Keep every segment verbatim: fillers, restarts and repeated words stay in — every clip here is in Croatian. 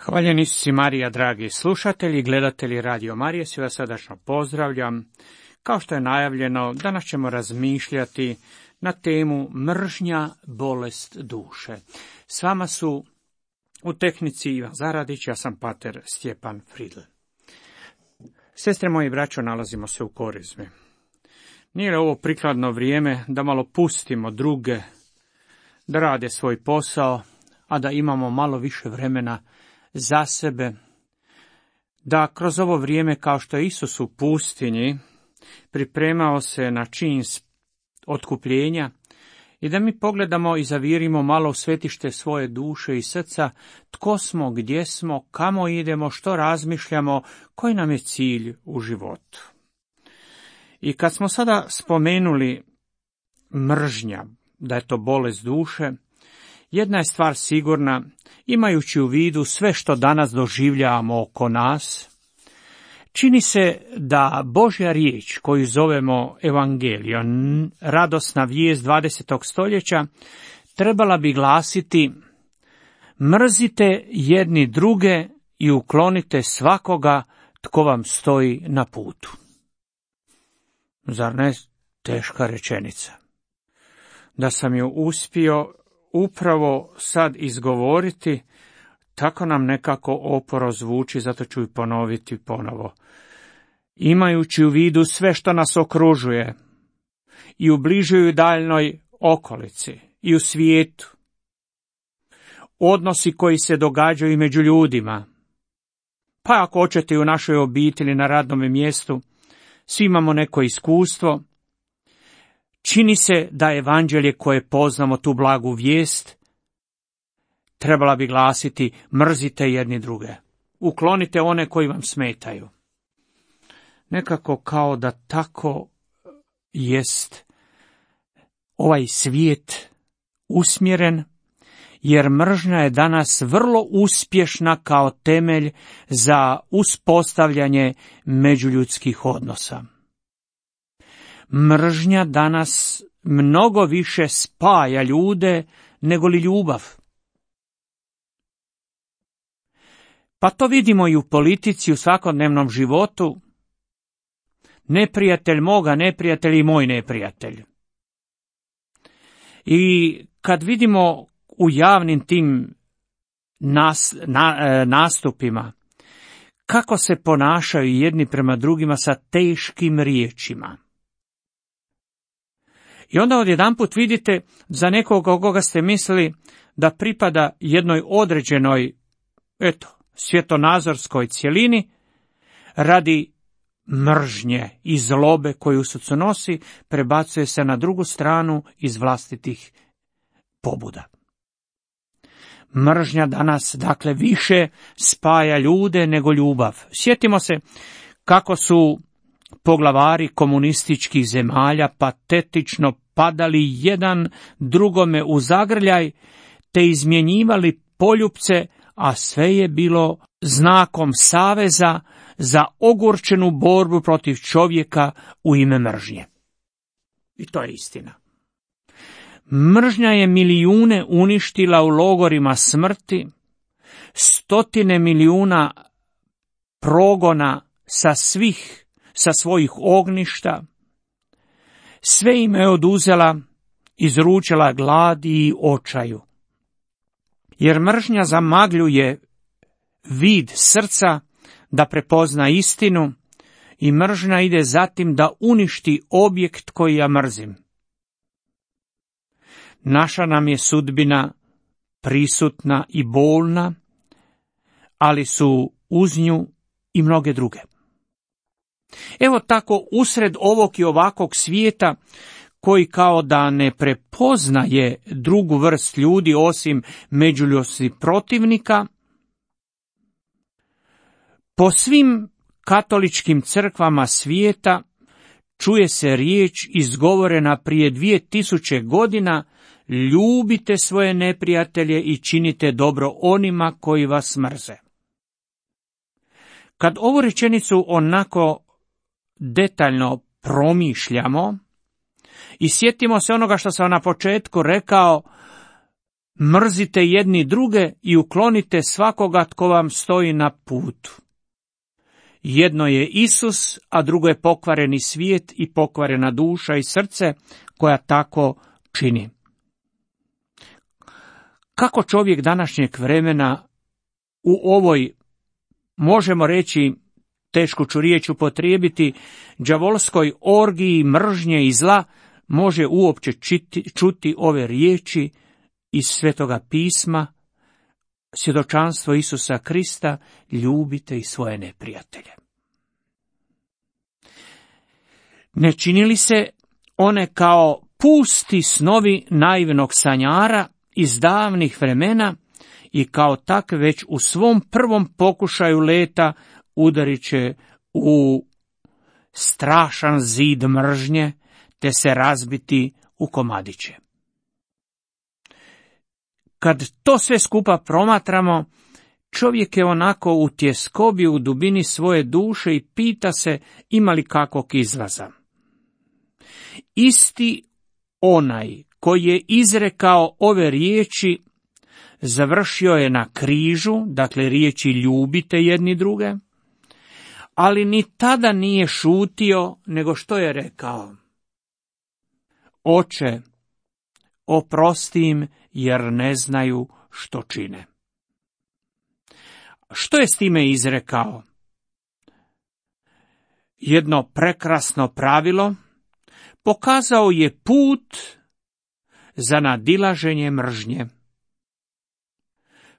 Hvaljeni si Marija, dragi slušatelji, gledatelji Radio Marije, svi vas srdačno pozdravljam. Kao što je najavljeno, danas ćemo razmišljati na temu mržnja, bolest duše. S vama su u tehnici Ivan Zaradić, ja sam pater Stjepan Fridl. Sestre moji i braćo, nalazimo se u Korizmi. Nije li ovo prikladno vrijeme da malo pustimo druge da rade svoj posao, a da imamo malo više vremena za sebe, da kroz ovo vrijeme, kao što je Isus u pustinji pripremao se na čin otkupljenja, i da mi pogledamo i zavirimo malo u svetište svoje duše i srca, tko smo, gdje smo, kamo idemo, što razmišljamo, koji nam je cilj u životu. I kad smo sada spomenuli mržnja, da je to bolest duše, jedna je stvar sigurna, imajući u vidu sve što danas doživljavamo oko nas, čini se da Božja riječ koju zovemo Evangelion, radosna vijest dvadesetog stoljeća, trebala bi glasiti: mrzite jedni druge i uklonite svakoga tko vam stoji na putu. Zar ne teška rečenica? Da sam ju uspio upravo sad izgovoriti, tako nam nekako oporo zvuči, zato ću i ponoviti ponovo. Imajući u vidu sve što nas okružuje, i u bližoj i daljnoj okolici, i u svijetu, odnosi koji se događaju među ljudima, pa ako hoćete i u našoj obitelji, na radnom mjestu, svi imamo neko iskustvo. Čini se da evanđelje koje poznamo, tu blagu vijest, trebala bi glasiti: mrzite jedni druge, uklonite one koji vam smetaju. Nekako kao da tako jest ovaj svijet usmjeren, jer mržnja je danas vrlo uspješna kao temelj za uspostavljanje međuljudskih odnosa. Mržnja danas mnogo više spaja ljude nego li ljubav. Pa to vidimo i u politici, u svakodnevnom životu. Neprijatelj moga, neprijatelj i moj neprijatelj. I kad vidimo u javnim tim nas, na, nastupima kako se ponašaju jedni prema drugima sa teškim riječima. I onda odjedanput vidite za nekoga koga ste mislili da pripada jednoj određenoj, eto, svjetonazorskoj cjelini, radi mržnje i zlobe koju u srcu nosi, prebacuje se na drugu stranu iz vlastitih pobuda. Mržnja danas, dakle, više spaja ljude nego ljubav. Sjetimo se kako su poglavari komunističkih zemalja patetično padali jedan drugome u zagrljaj, te izmjenjivali poljupce, a sve je bilo znakom saveza za ogorčenu borbu protiv čovjeka u ime mržnje. I to je istina. Mržnja je milijune uništila u logorima smrti, stotine milijuna progona sa svih, sa svojih ognjišta, sve im je oduzela, izručila gladi i očaju. Jer mržnja zamagljuje vid srca da prepozna istinu, i mržnja ide zatim da uništi objekt koji ja mrzim. Naša nam je sudbina prisutna i bolna, ali su uz nju i mnoge druge. Evo tako, usred ovog i ovakvog svijeta, koji kao da ne prepoznaje drugu vrst ljudi osim međuljudskih protivnika, po svim katoličkim crkvama svijeta čuje se riječ izgovorena prije dvije tisuće godina: ljubite svoje neprijatelje i činite dobro onima koji vas mrze. Kad ovu rečenicu onako detaljno promišljamo i sjetimo se onoga što sam na početku rekao, Mrzite jedni druge i uklonite svakoga tko vam stoji na putu. Jedno je Isus, a drugo je pokvareni svijet i pokvarena duša i srce koja tako čini. Kako čovjek današnjeg vremena u ovoj, možemo reći, tešku ću riječ upotrijebiti, đavolskoj orgiji mržnje i zla, može uopće čiti, čuti ove riječi iz Svetoga pisma, svjedočanstvo Isusa Krista, ljubite i svoje neprijatelje. Ne čini li se one kao pusti snovi naivnog sanjara iz davnih vremena i kao takve već u svom prvom pokušaju leta udarit će u strašan zid mržnje, te se razbiti u komadiće. Kad to sve skupa promatramo, čovjek je onako u tjeskobi u dubini svoje duše i pita se ima li kakvog izlaza. Isti onaj koji je izrekao ove riječi završio je na križu, dakle riječi ljubite jedni druge, ali ni tada nije šutio, nego što je rekao? Oče, oprosti im jer ne znaju što čine. Što je s time izrekao? Jedno prekrasno pravilo, pokazao je put za nadilaženje mržnje.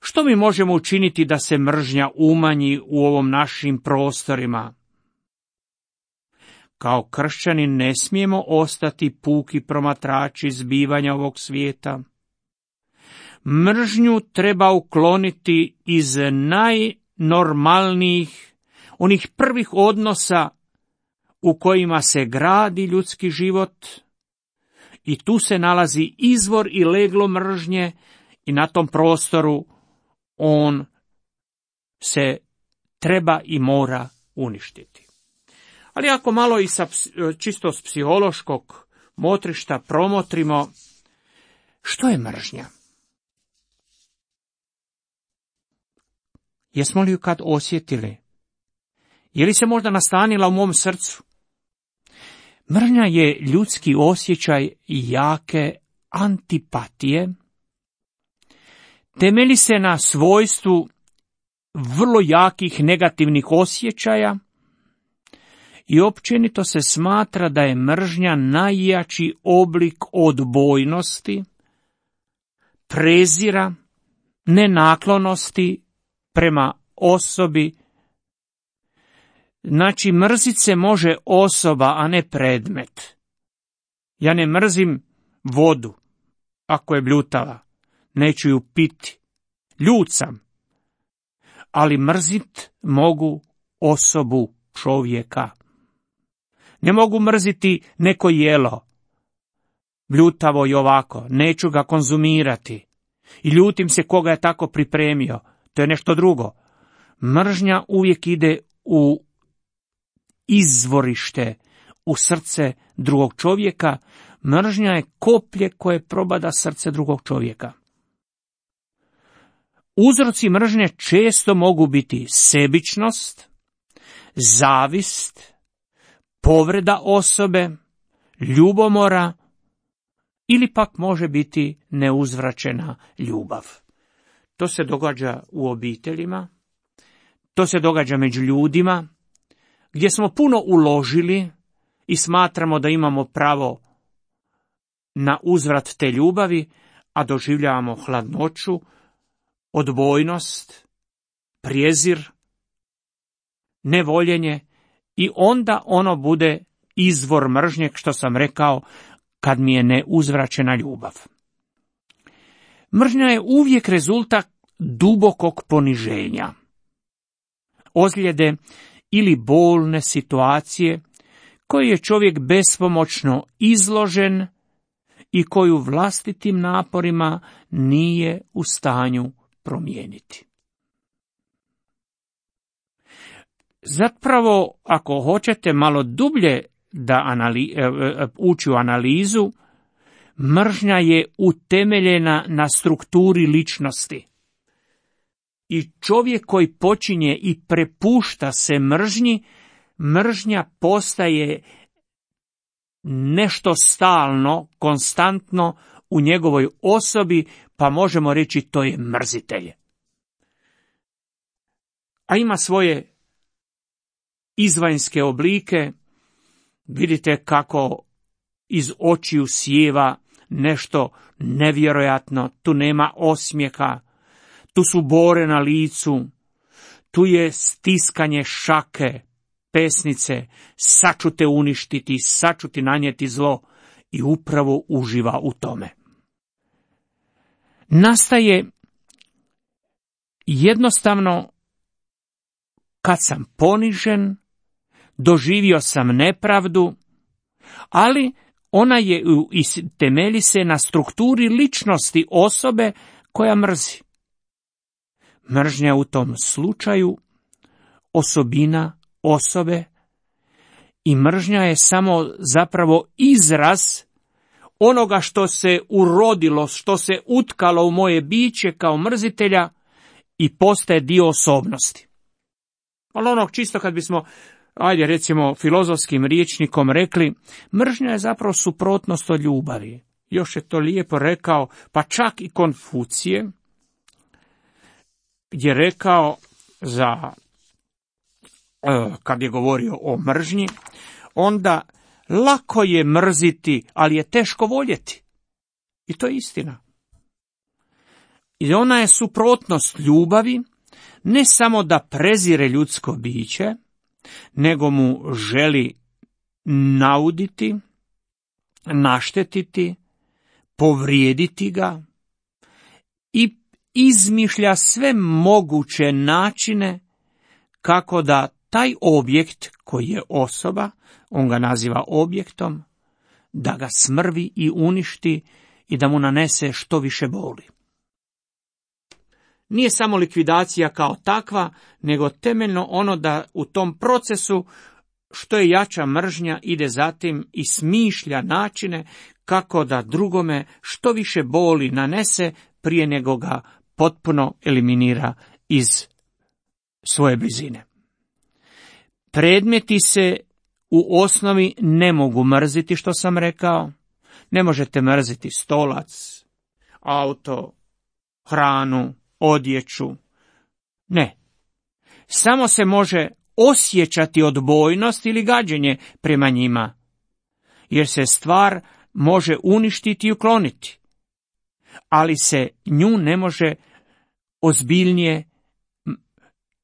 Što mi možemo učiniti da se mržnja umanji u ovom našim prostorima? Kao kršćani ne smijemo ostati puki promatrači zbivanja ovog svijeta. Mržnju treba ukloniti iz najnormalnijih, onih prvih odnosa u kojima se gradi ljudski život, i tu se nalazi izvor i leglo mržnje i na tom prostoru on se treba i mora uništiti. Ali ako malo i sa, čisto s psihološkog motrišta promotrimo, što je mržnja? Jesmo li ju kad osjetili? Je li se možda nastanila u mom srcu? Mržnja je ljudski osjećaj jake antipatije. Temelji se na svojstvu vrlo jakih negativnih osjećaja i općenito se smatra da je mržnja najjači oblik odbojnosti, prezira, nenaklonosti prema osobi. Znači, mrzit se može osoba, a ne predmet. Ja ne mrzim vodu, ako je bljutava, neću ju piti. Ljut sam, ali mrzit mogu osobu, čovjeka. Ne mogu mrziti neko jelo, bljutavo i ovako, neću ga konzumirati. I ljutim se koga je tako pripremio, to je nešto drugo. Mržnja uvijek ide u izvorište, u srce drugog čovjeka. Mržnja je koplje koje probada srce drugog čovjeka. Uzroci mržnje često mogu biti sebičnost, zavist, povreda osobe, ljubomora ili pak može biti neuzvraćena ljubav. To se događa u obiteljima, to se događa među ljudima, gdje smo puno uložili i smatramo da imamo pravo na uzvrat te ljubavi, a doživljavamo hladnoću, odbojnost, prijezir, nevoljenje i onda ono bude izvor mržnje, što sam rekao, kad mi je neuzvraćena ljubav. Mržnja je uvijek rezultat dubokog poniženja, ozljede ili bolne situacije koje je čovjek bespomoćno izložen i koju vlastitim naporima nije u stanju promijeniti. Zapravo, ako hoćete malo dublje da anali, ući u analizu, Mržnja je utemeljena na strukturi ličnosti. I čovjek koji počinje i prepušta se mržnji, mržnja postaje nešto stalno, konstantno u njegovoj osobi, pa možemo reći to je mrzitelj. A ima svoje izvanjske oblike. Vidite kako iz očiju sjeva nešto nevjerojatno, tu nema osmijeha, tu su bore na licu, tu je stiskanje šake, pesnice, saču te uništiti, saču ti nanijeti zlo, i upravo uživa u tome. Nastaje jednostavno kad sam ponižen, doživio sam nepravdu, ali ona je i temelji se na strukturi ličnosti osobe koja mrzi. Mržnja u tom slučaju osobina osobe i mržnja je samo zapravo izraz onoga što se urodilo, što se utkalo u moje biće kao mrzitelja i postaje dio osobnosti. Ali onog čisto kad bismo, ajde recimo filozofskim rječnikom rekli, mržnja je zapravo suprotnost od ljubavi. Još je to lijepo rekao, pa čak i Konfucije je rekao za, kad je govorio o mržnji, onda lako je mrziti, ali je teško voljeti. I to je istina. I ona je suprotnost ljubavi, ne samo da prezire ljudsko biće, nego mu želi nauditi, naštetiti, povrijediti ga i izmišlja sve moguće načine kako da taj objekt koji je osoba, on ga naziva objektom, da ga smrvi i uništi i da mu nanese što više boli. Nije samo likvidacija kao takva, nego temeljno ono da u tom procesu što je jača mržnja ide zatim i smišlja načine kako da drugome što više boli nanese prije nego ga potpuno eliminira iz svoje blizine. Predmeti se u osnovi ne mogu mrziti, što sam rekao. Ne možete mrziti stolac, auto, hranu, odjeću. Ne. Samo se može osjećati odbojnost ili gađenje prema njima, jer se stvar može uništiti i ukloniti, ali se nju ne može ozbiljnije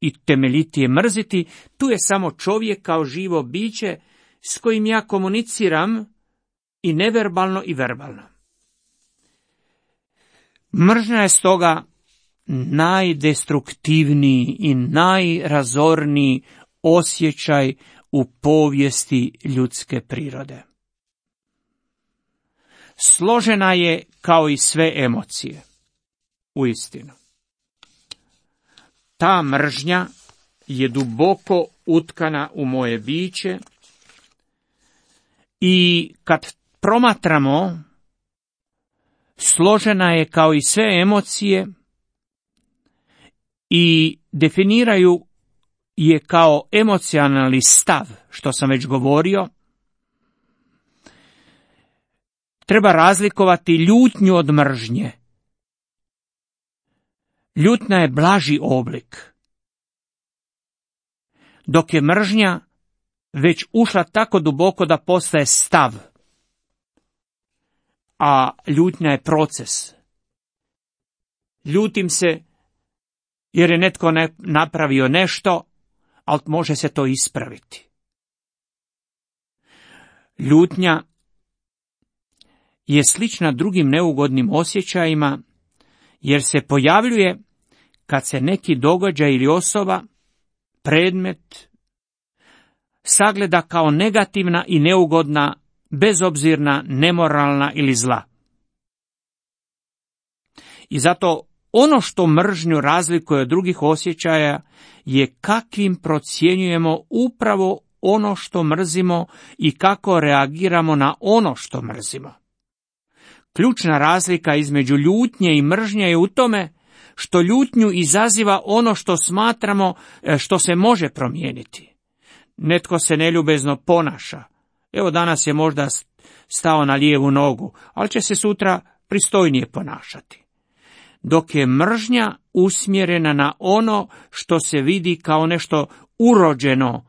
i temeljitije mrziti. Tu je samo čovjek kao živo biće s kojim ja komuniciram i neverbalno i verbalno. Mržnja je stoga najdestruktivniji i najrazorniji osjećaj u povijesti ljudske prirode. Složena je kao i sve emocije. Uistinu. Ta mržnja je duboko utkana u moje biće i kad promatramo, složena je kao i sve emocije i definiraju je kao emocionalni stav, što sam već govorio. Treba razlikovati ljutnju od mržnje. Ljutnja je blaži oblik, dok je mržnja već ušla tako duboko da postaje stav, a ljutnja je proces. Ljutim se jer je netko ne napravio nešto, ali može se to ispraviti. Ljutnja je slična drugim neugodnim osjećajima, jer se pojavljuje kad se neki događaj ili osoba, predmet, sagleda kao negativna i neugodna, bezobzirna, nemoralna ili zla. I zato ono što mržnju razlikuje od drugih osjećaja je kakvim procjenjujemo upravo ono što mrzimo i kako reagiramo na ono što mrzimo. Ključna razlika između ljutnje i mržnje je u tome što ljutnju izaziva ono što smatramo što se može promijeniti. Netko se neljubezno ponaša. Evo danas je možda stao na lijevu nogu, ali će se sutra pristojnije ponašati. Dok je mržnja usmjerena na ono što se vidi kao nešto urođeno,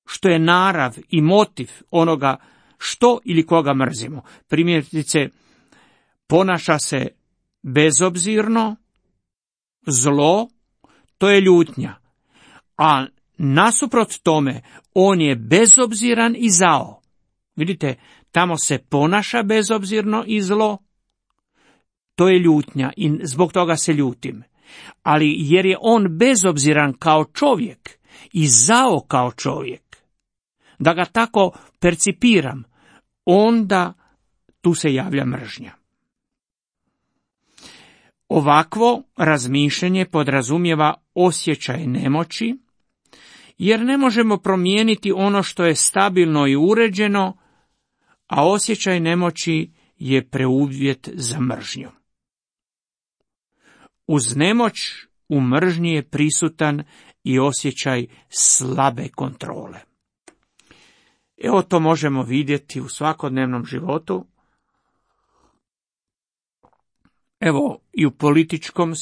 što je narav i motiv onoga što ili koga mrzimo. Primjerice, ponaša se bezobzirno, zlo, to je ljutnja. A nasuprot tome, on je bezobziran i zao. Vidite, tamo se ponaša bezobzirno i zlo, to je ljutnja i zbog toga se ljutim. Ali jer je on bezobziran kao čovjek i zao kao čovjek, da ga tako percipiram, onda tu se javlja mržnja. Ovakvo razmišljanje podrazumijeva osjećaj nemoći, jer ne možemo promijeniti ono što je stabilno i uređeno, a osjećaj nemoći je preuvjet za mržnju. Uz nemoć u mržnji je prisutan i osjećaj slabe kontrole. Evo to možemo vidjeti u svakodnevnom životu. Evo i u političkom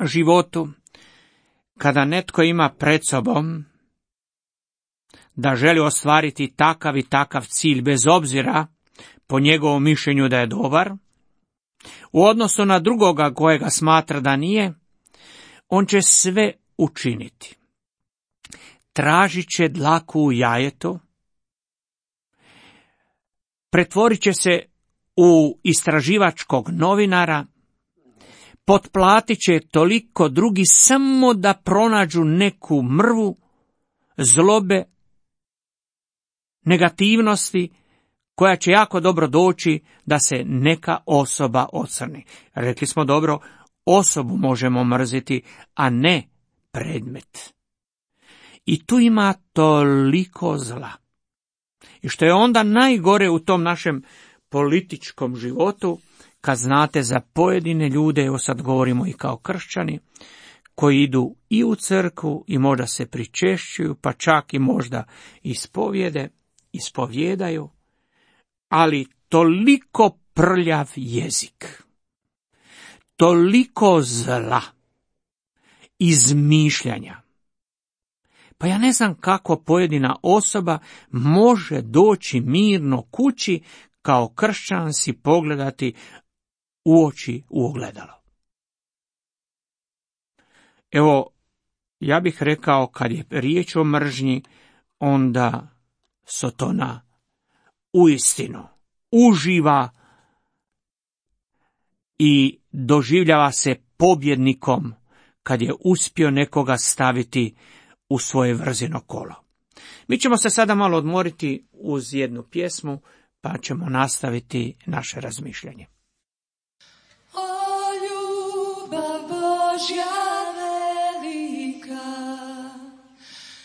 životu, kada netko ima pred sobom da želi ostvariti takav i takav cilj bez obzira po njegovom mišljenju da je dobar, u odnosu na drugoga kojega smatra da nije, on će sve učiniti. Tražit će dlaku u jajetu, pretvorit će se u istraživačkog novinara, potplatit će toliko drugi samo da pronađu neku mrvu, zlobe, negativnosti, koja će jako dobro doći da se neka osoba ocrni. Rekli smo dobro, osobu možemo mrziti, a ne predmet. I tu ima toliko zla. I što je onda najgore u tom našem političkom životu, kad znate za pojedine ljude, evo sad govorimo i kao kršćani, koji idu i u crkvu i možda se pričešćuju, pa čak i možda ispovjede, ispovjedaju, ali toliko prljav jezik, toliko zla, izmišljanja. Pa ja ne znam kako pojedina osoba može doći mirno kući kao kršćan si pogledati u oči u ogledalo. Evo, ja bih rekao, kad je riječ o mržnji, onda Sotona uistinu uživa i doživljava se pobjednikom kad je uspio nekoga staviti u svoje vrzino kolo. Mi ćemo se sada malo odmoriti uz jednu pjesmu, pa ćemo nastaviti naše razmišljanje. O ljubav Božja velika,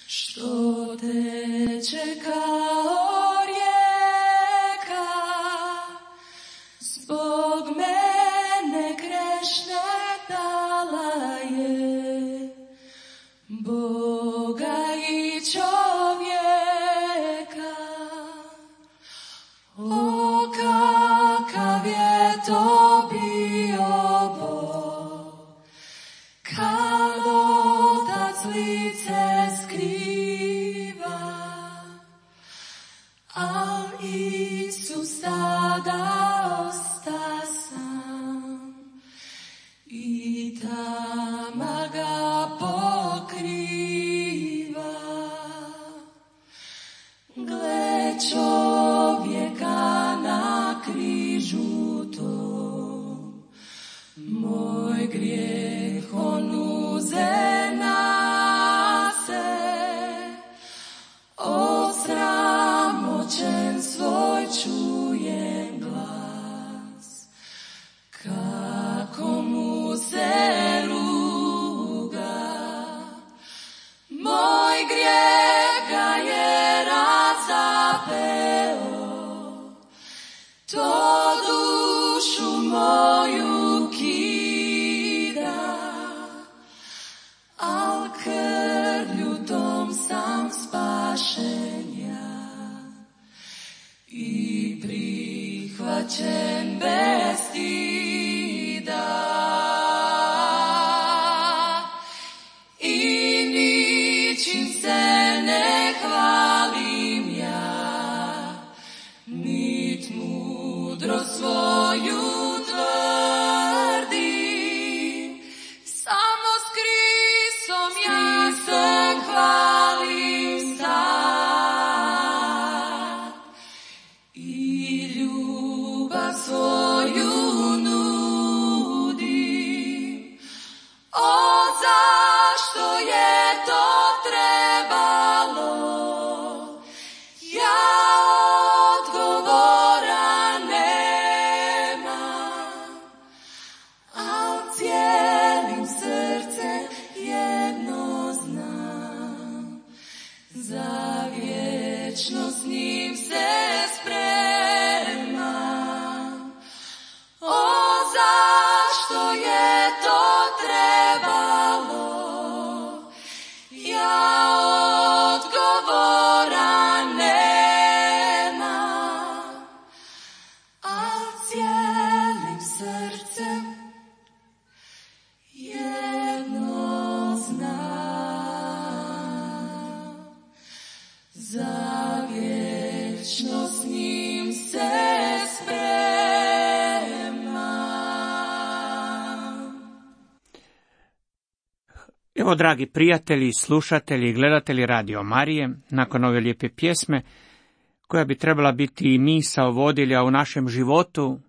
što teče kao rijeka, zbog mene grešne dala je Boga i čovjeka. O, kakav je to bio Bog, kad Otac lice skriva, a Isus tada osta sam i tama ga pokriva. Gle čovjeka na križu tom, moj grijeh on uze na se, osramoćen svoj čujem glas, kako mu se ruga. plačem bez stida i ničim se ne hvalim ja, nit mudro svoju tvrdim, samo s Kristom ja se hvalim sad i ljubav svoju nudim. O, zašto je to trebalo? Ja odgovora nemam, al cijelim srcem jedno znam, za vječno s njim se spremam. O, zašto je to trebalo? Ja odgovora nemam, al cijelim srcem jedno znam, za vječno s njim se spremam. Evo, dragi prijatelji, slušatelji i gledatelji Radio Marije, nakon ove lijepe pjesme, koja bi trebala biti i misao vodilja u našem životu,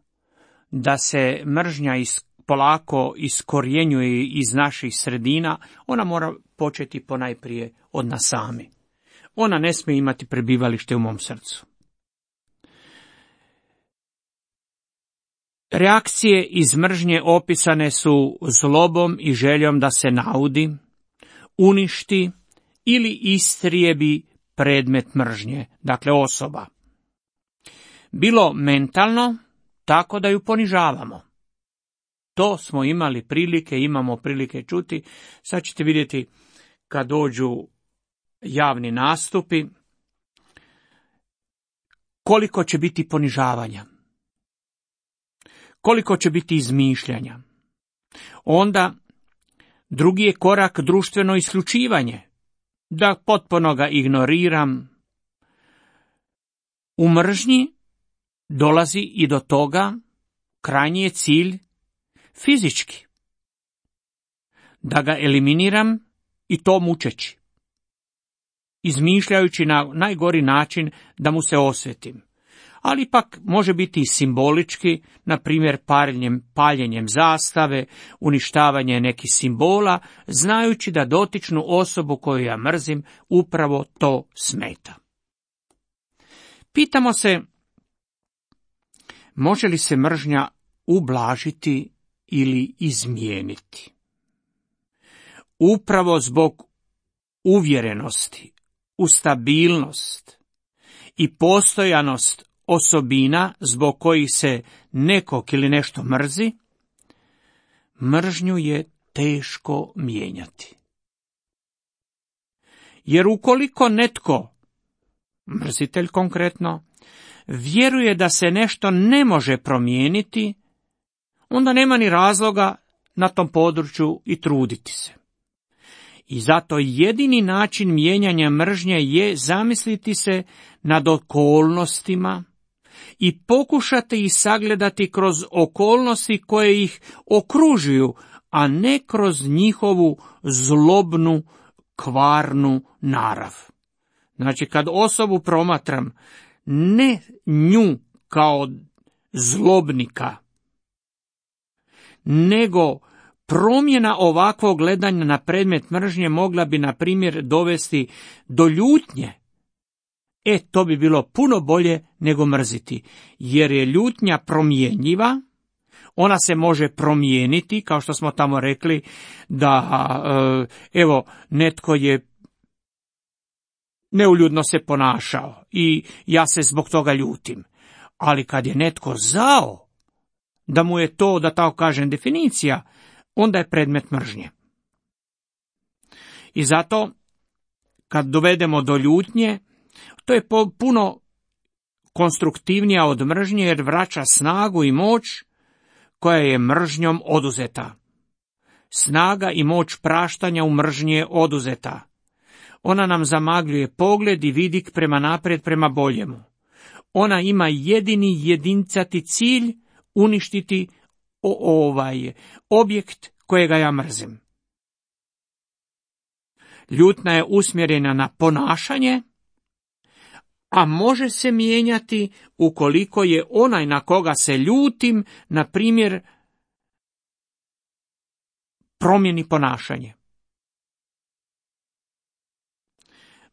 da se mržnja is, polako iskorjenjuje iz naših sredina, ona mora početi ponajprije od nas sami. Ona ne smije imati prebivalište u mom srcu. Reakcije iz mržnje opisane su zlobom i željom da se naudi, uništi ili istrijebi predmet mržnje, dakle osoba. Bilo mentalno, tako da ju ponižavamo. To smo imali prilike, imamo prilike čuti. Sad ćete vidjeti kad dođu javni nastupi, koliko će biti ponižavanja, koliko će biti izmišljanja. Onda drugi je korak društveno isključivanje, da potpuno ga ignoriram. U mržnji dolazi i do toga, krajnji je cilj fizički, da ga eliminiram i to mučeći, izmišljajući na najgori način da mu se osvetim. Ali ipak može biti i simbolički, na primjer paljenjem, paljenjem zastave, uništavanje nekih simbola, znajući da dotičnu osobu koju ja mrzim upravo to smeta. Pitamo se, može li se mržnja ublažiti ili izmijeniti? Upravo zbog uvjerenosti u stabilnost i postojanost osobina zbog kojih se nekog ili nešto mrzi, mržnju je teško mijenjati. Jer ukoliko netko, mrzitelj konkretno, vjeruje da se nešto ne može promijeniti, onda nema ni razloga na tom području i truditi se. I zato jedini način mijenjanja mržnje je zamisliti se nad okolnostima i pokušati ih sagledati kroz okolnosti koje ih okružuju, a ne kroz njihovu zlobnu, kvarnu narav. Znači, kad osobu promatram, ne nju kao zlobnika, nego promjena ovakvog gledanja na predmet mržnje mogla bi, na primjer, dovesti do ljutnje. E, to bi bilo puno bolje nego mrziti, jer je ljutnja promjenjiva, ona se može promijeniti, kao što smo tamo rekli, da, evo, netko je neuljudno se ponašao i ja se zbog toga ljutim. Ali kad je netko zao, da mu je to, da tako kažem, definicija, onda je predmet mržnje. I zato, kad dovedemo do ljutnje, to je puno konstruktivnija od mržnje jer vraća snagu i moć koja je mržnjom oduzeta. Snaga i moć praštanja u mržnji je oduzeta. Ona nam zamagljuje pogled i vidik prema naprijed, prema boljemu. Ona ima jedini jedincati cilj uništiti ovaj objekt kojega ja mrzim. Ljutnja je usmjerena na ponašanje, a može se mijenjati ukoliko je onaj na koga se ljutim, na primjer, promijeni ponašanje.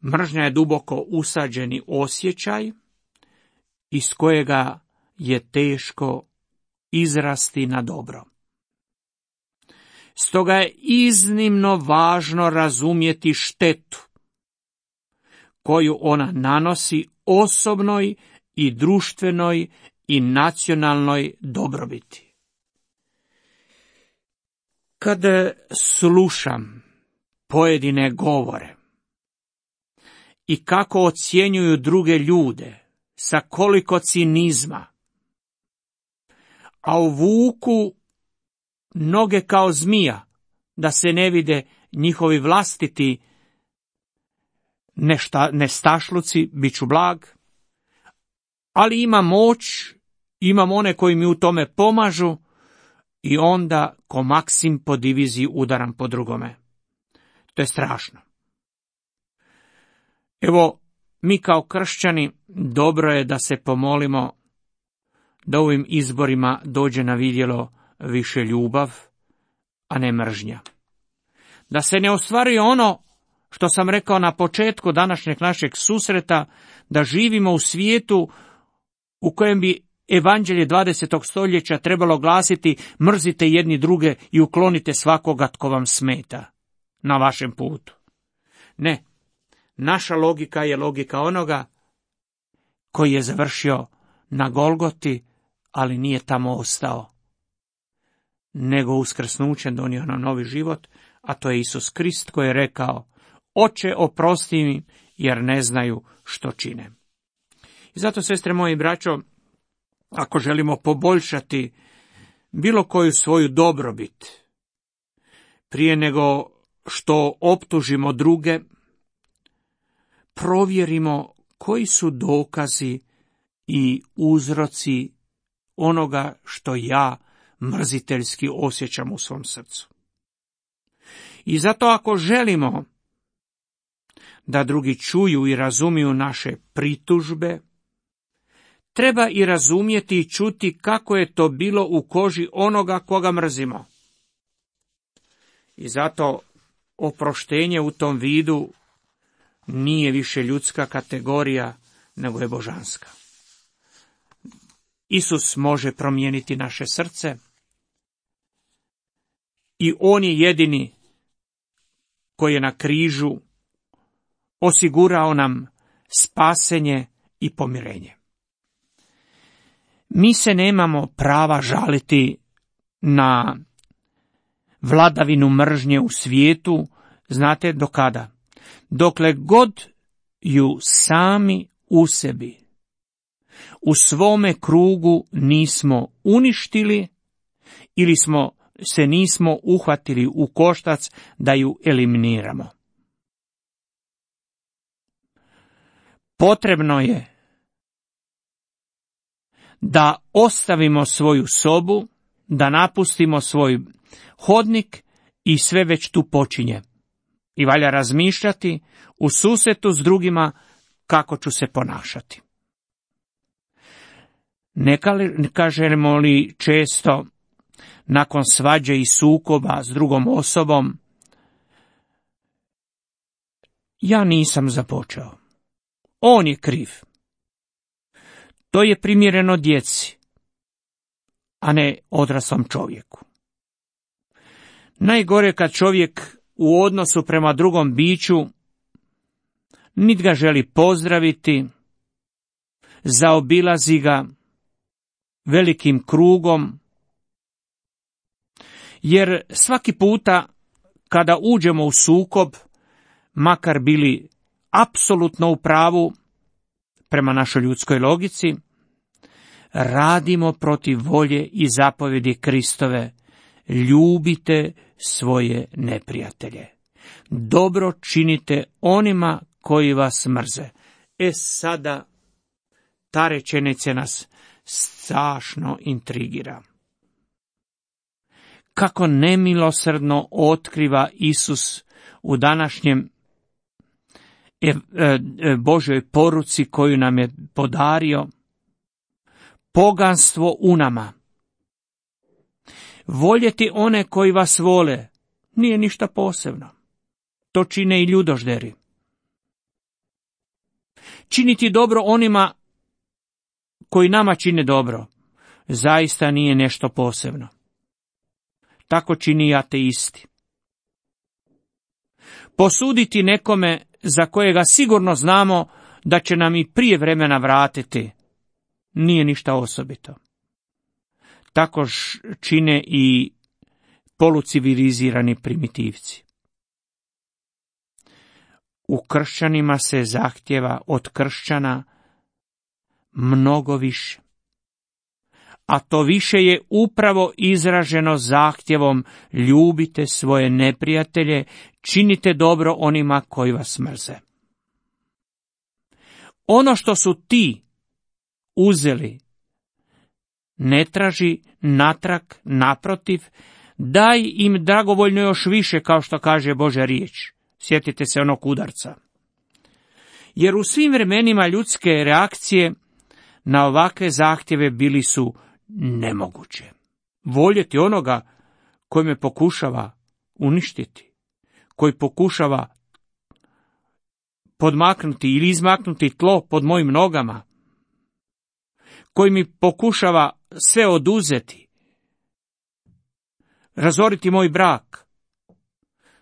Mržnja je duboko usađeni osjećaj iz kojega je teško izrasti na dobro. Stoga je iznimno važno razumjeti štetu koju ona nanosi osobnoj i društvenoj i nacionalnoj dobrobiti. Kad slušam pojedine govore i kako ocjenjuju druge ljude sa koliko cinizma, a uvuku noge kao zmija, da se ne vide njihovi vlastiti nešta, nestašluci, bit ću blag, ali ima moć, imam one koji mi u tome pomažu i onda ko Maksim po diviziji udaram po drugome. To je strašno. Evo, mi kao kršćani dobro je da se pomolimo da ovim izborima dođe na vidjelo više ljubav, a ne mržnja. Da se ne ostvaruje ono što sam rekao na početku današnjeg našeg susreta, da živimo u svijetu u kojem bi evanđelje dvadesetog stoljeća trebalo glasiti: mrzite jedni druge i uklonite svakoga tko vam smeta na vašem putu. Ne, naša logika je logika onoga koji je završio na Golgoti, ali nije tamo ostao, nego uskrsnućem donio nam novi život, a to je Isus Krist koji je rekao: Oče, oprosti mi, jer ne znaju što čine. I zato, sestre moje i braćo, ako želimo poboljšati bilo koju svoju dobrobit, prije nego što optužimo druge, provjerimo koji su dokazi i uzroci onoga što ja mrziteljski osjećam u svom srcu. I zato ako želimo da drugi čuju i razumiju naše pritužbe, treba i razumjeti i čuti kako je to bilo u koži onoga koga mrzimo. I zato oproštenje u tom vidu nije više ljudska kategorija, nego je božanska. Isus može promijeniti naše srce i on je jedini koji je na križu osigurao nam spasenje i pomirenje. Mi se nemamo prava žaliti na vladavinu mržnje u svijetu, znate do kada? Dokle god ju sami u sebi, u svome krugu nismo uništili ili smo se nismo uhvatili u koštac da ju eliminiramo. Potrebno je da ostavimo svoju sobu, da napustimo svoj hodnik i sve već tu počinje. I valja razmišljati u susretu s drugima kako ću se ponašati. Ne kažemo li često nakon svađe i sukoba s drugom osobom: ja nisam započeo, on je kriv. To je primjereno djeci, a ne odraslom čovjeku. Najgore kad čovjek u odnosu prema drugom biću nit ga želi pozdraviti, zaobilazi ga velikim krugom, jer svaki puta kada uđemo u sukob, makar bili apsolutno u pravu, prema našoj ljudskoj logici, radimo protiv volje i zapovjedi Kristove, ljubite svoje neprijatelje. Dobro činite onima koji vas mrze. E sada, ta rečenica nas strašno intrigira. Kako nemilosrdno otkriva Isus u današnjem Božjoj poruci koju nam je podario, poganstvo u nama. Voljeti one koji vas vole nije ništa posebno. To čine i ljudožderi. Činiti dobro onima koji nama čine dobro zaista nije nešto posebno. Tako čini i ateisti. Posuditi nekome za kojega sigurno znamo da će nam i prije vremena vratiti nije ništa osobito. Tako čine i polucivilizirani primitivci. U kršćanima se zahtjeva od kršćana mnogo više. A to više je upravo izraženo zahtjevom ljubite svoje neprijatelje, činite dobro onima koji vas mrze. Ono što su ti uzeli, ne traži natrag, naprotiv, daj im dragovoljno još više, kao što kaže Božja riječ. Sjetite se onog udarca. Jer u svim vremenima ljudske reakcije na ovakve zahtjeve bili su nemoguće. Voljeti onoga koji me pokušava uništiti, koji pokušava podmaknuti ili izmaknuti tlo pod mojim nogama, koji mi pokušava sve oduzeti, razoriti moj brak.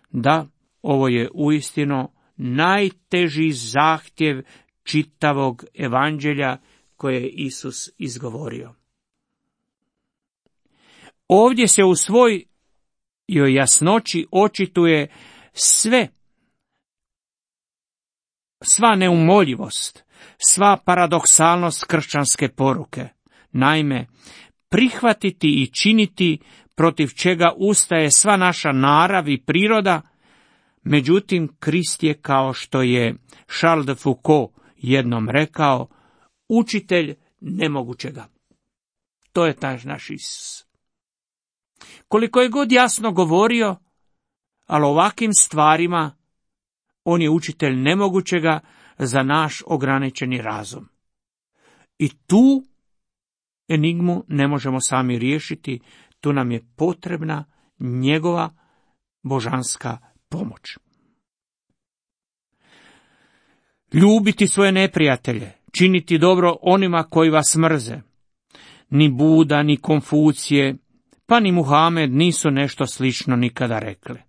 Da, ovo je uistinu najteži zahtjev čitavog evanđelja koje je Isus izgovorio. Ovdje se u svojoj jasnoći očituje sve, sva neumoljivost, sva paradoksalnost kršćanske poruke. Naime, prihvatiti i činiti protiv čega ustaje sva naša narav i priroda, međutim, Krist je, kao što je Charles de Foucault jednom rekao, učitelj nemogućega. To je taj naš Isus. Koliko je god jasno govorio, ali ovakvim stvarima on je učitelj nemogućega za naš ograničeni razum. I tu enigmu ne možemo sami riješiti, tu nam je potrebna njegova božanska pomoć. Ljubiti svoje neprijatelje, činiti dobro onima koji vas mrze. Ni Buda, ni Konfucije, pa ni Muhamed nisu nešto slično nikada rekli.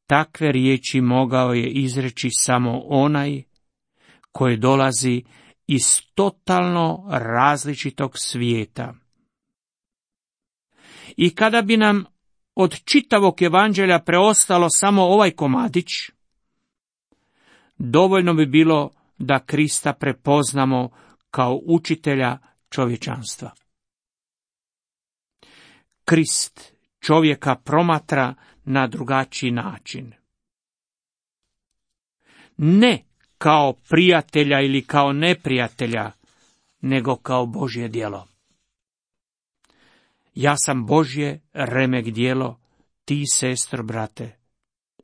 Takve riječi mogao je izreći samo onaj koji dolazi iz totalno različitog svijeta. I kada bi nam od čitavog evanđelja preostalo samo ovaj komadić, dovoljno bi bilo da Krista prepoznamo kao učitelja čovječanstva. Krist čovjeka promatra na drugačiji način. Ne kao prijatelja ili kao neprijatelja, nego kao Božje djelo. Ja sam Božje remek djelo, ti, sestro, brate,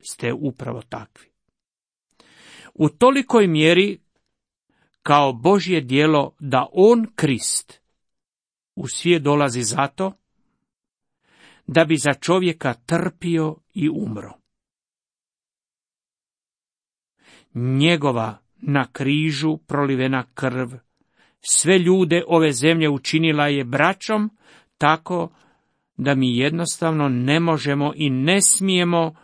ste upravo takvi. U tolikoj mjeri kao Božje djelo da on, Krist, u svijet dolazi zato da bi za čovjeka trpio i umro. Njegova na križu prolivena krv sve ljude ove zemlje učinila je braćom, tako da mi jednostavno ne možemo i ne smijemo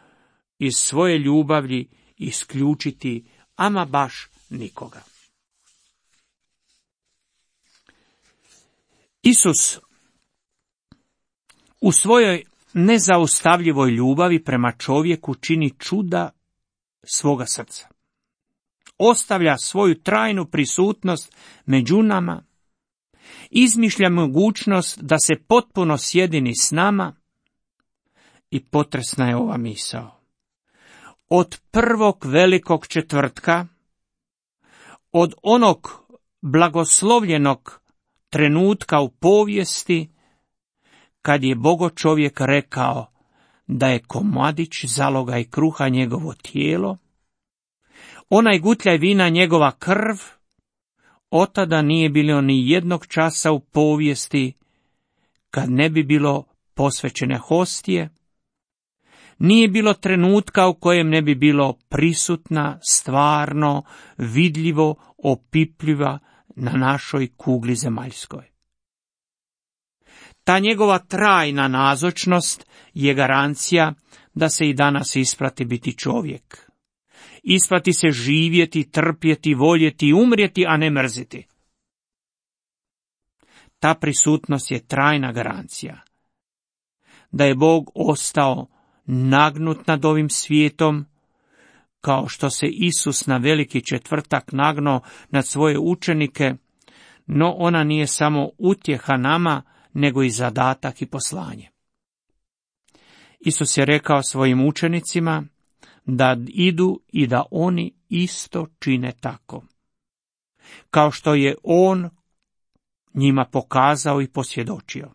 iz svoje ljubavi isključiti ama baš nikoga. Isus u svojoj nezaustavljivoj ljubavi prema čovjeku čini čuda svoga srca. ostavlja svoju trajnu prisutnost među nama, izmišlja mogućnost da se potpuno sjedini s nama i potresna je ova misao. Od prvog velikog četvrtka, od onog blagoslovljenog trenutka u povijesti, kad je Bogo čovjek rekao da je komadić zalogaj kruha njegovo tijelo, onaj gutljaj vina njegova krv, otada nije bilo ni jednog časa u povijesti kad ne bi bilo posvećene hostije, nije bilo trenutka u kojem ne bi bilo prisutna, stvarno, vidljivo, opipljiva na našoj kugli zemaljskoj. Ta njegova trajna nazočnost je garancija da se i danas isplati biti čovjek. Isplati se živjeti, trpjeti, voljeti, umrijeti, a ne mrziti. Ta prisutnost je trajna garancija da je Bog ostao nagnut nad ovim svijetom, kao što se Isus na veliki četvrtak nagnuo nad svoje učenike, no ona nije samo utjeha nama, nego i zadatak i poslanje. Isus je rekao svojim učenicima da idu i da oni isto čine tako, kao što je on njima pokazao i posvjedočio.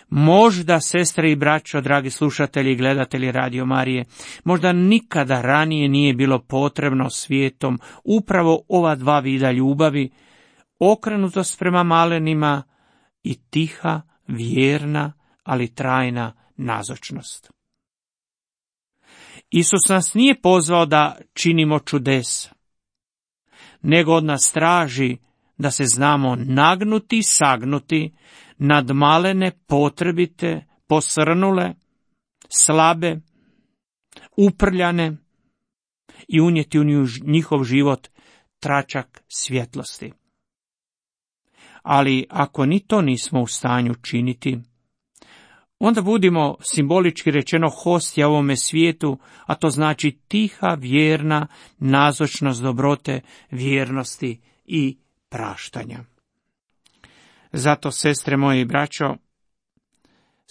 Možda, sestre i braćo, dragi slušatelji i gledatelji Radio Marije, možda nikada ranije nije bilo potrebno svijetom upravo ova dva vida ljubavi, okrenutost prema malenima i tiha, vjerna, ali trajna nazočnost. Isus nas nije pozvao da činimo čudesa, nego od nas traži da se znamo nagnuti i sagnuti nad malene, potrebite, posrnule, slabe, uprljane i unijeti u njihov život tračak svjetlosti. Ali ako ni to nismo u stanju činiti, onda budimo simbolički rečeno hostija ovome svijetu, a to znači tiha, vjerna nazočnost dobrote, vjernosti i praštanja. Zato, sestre moje i braćo,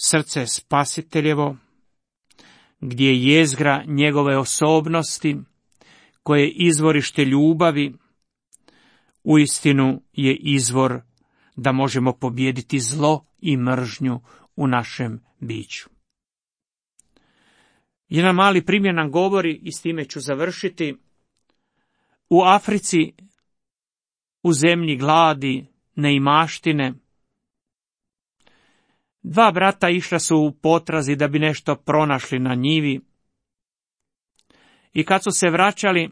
srce je Spasiteljevo, gdje je jezgra njegove osobnosti, koje je izvorište ljubavi, uistinu je izvor da možemo pobijediti zlo i mržnju u našem biću. Jedan mali primjer nam govori, i s time ću završiti. U Africi, u zemlji gladi, neimaštine, dva brata išla su u potrazi da bi nešto pronašli na njivi. I kad su se vraćali,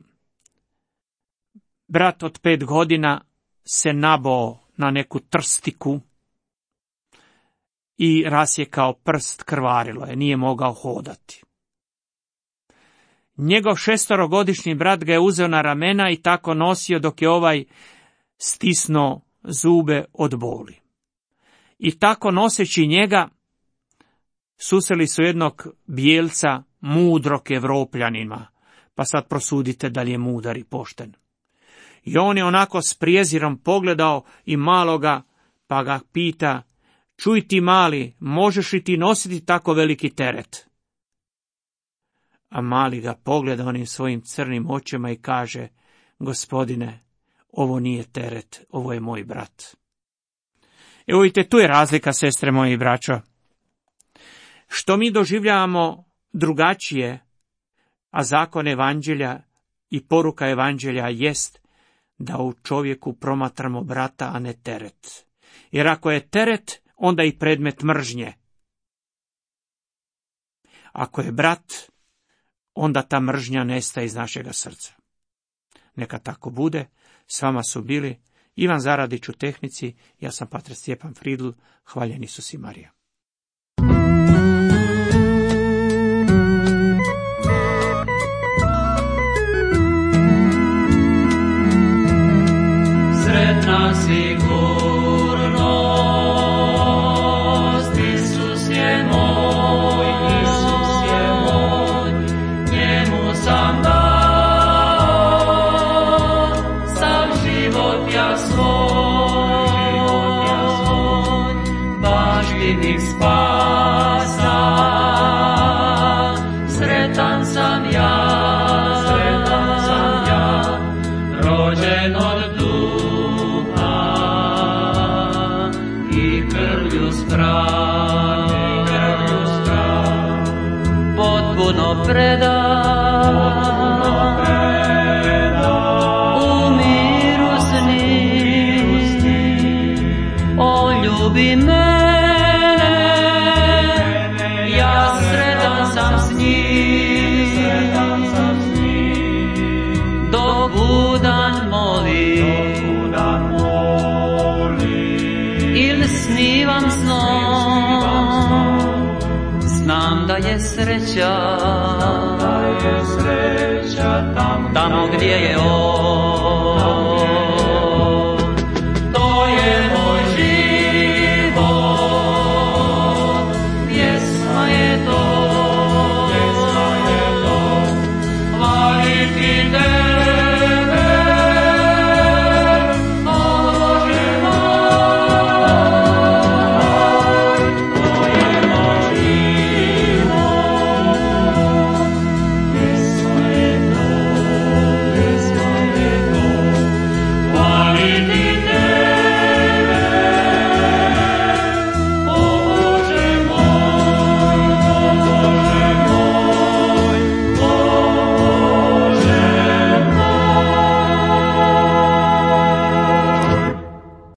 brat od pet godina se nabao na neku trstiku i rasjekao prst, krvarilo je, nije mogao hodati. Njegov šestorogodišnji brat ga je uzeo na ramena i tako nosio dok je ovaj stisnuo zube od boli. I tako noseći njega, susreli su jednog bijelca, mudrog Evropljanima, pa sad prosudite da li je mudar i pošten. I on je onako s prijezirom pogledao i maloga, pa ga pita: čuj ti mali, možeš li ti nositi tako veliki teret? A mali ga pogleda onim svojim crnim očima i kaže: gospodine, ovo nije teret, ovo je moj brat. Evo vidite, tu je razlika, sestre moje i braćo. Što mi doživljavamo drugačije, a zakon evanđelja i poruka evanđelja jest da u čovjeku promatramo brata, a ne teret. Jer ako je teret, onda i predmet mržnje. Ako je brat, onda ta mržnja nestaje iz našega srca. Neka tako bude. S vama su bili Ivan Zaradić u tehnici, ja sam pater Stjepan Fridl, hvaljen Isus i Marija. Sretna sigurnost, Isus je moj, Isus je moj, njemu sam dao potpuno predam, u miru s njim. O, ljubi mene, ja sretan sam s njim, dok budan molim ili snivam snom, znam da je sreća tamo gdje je on.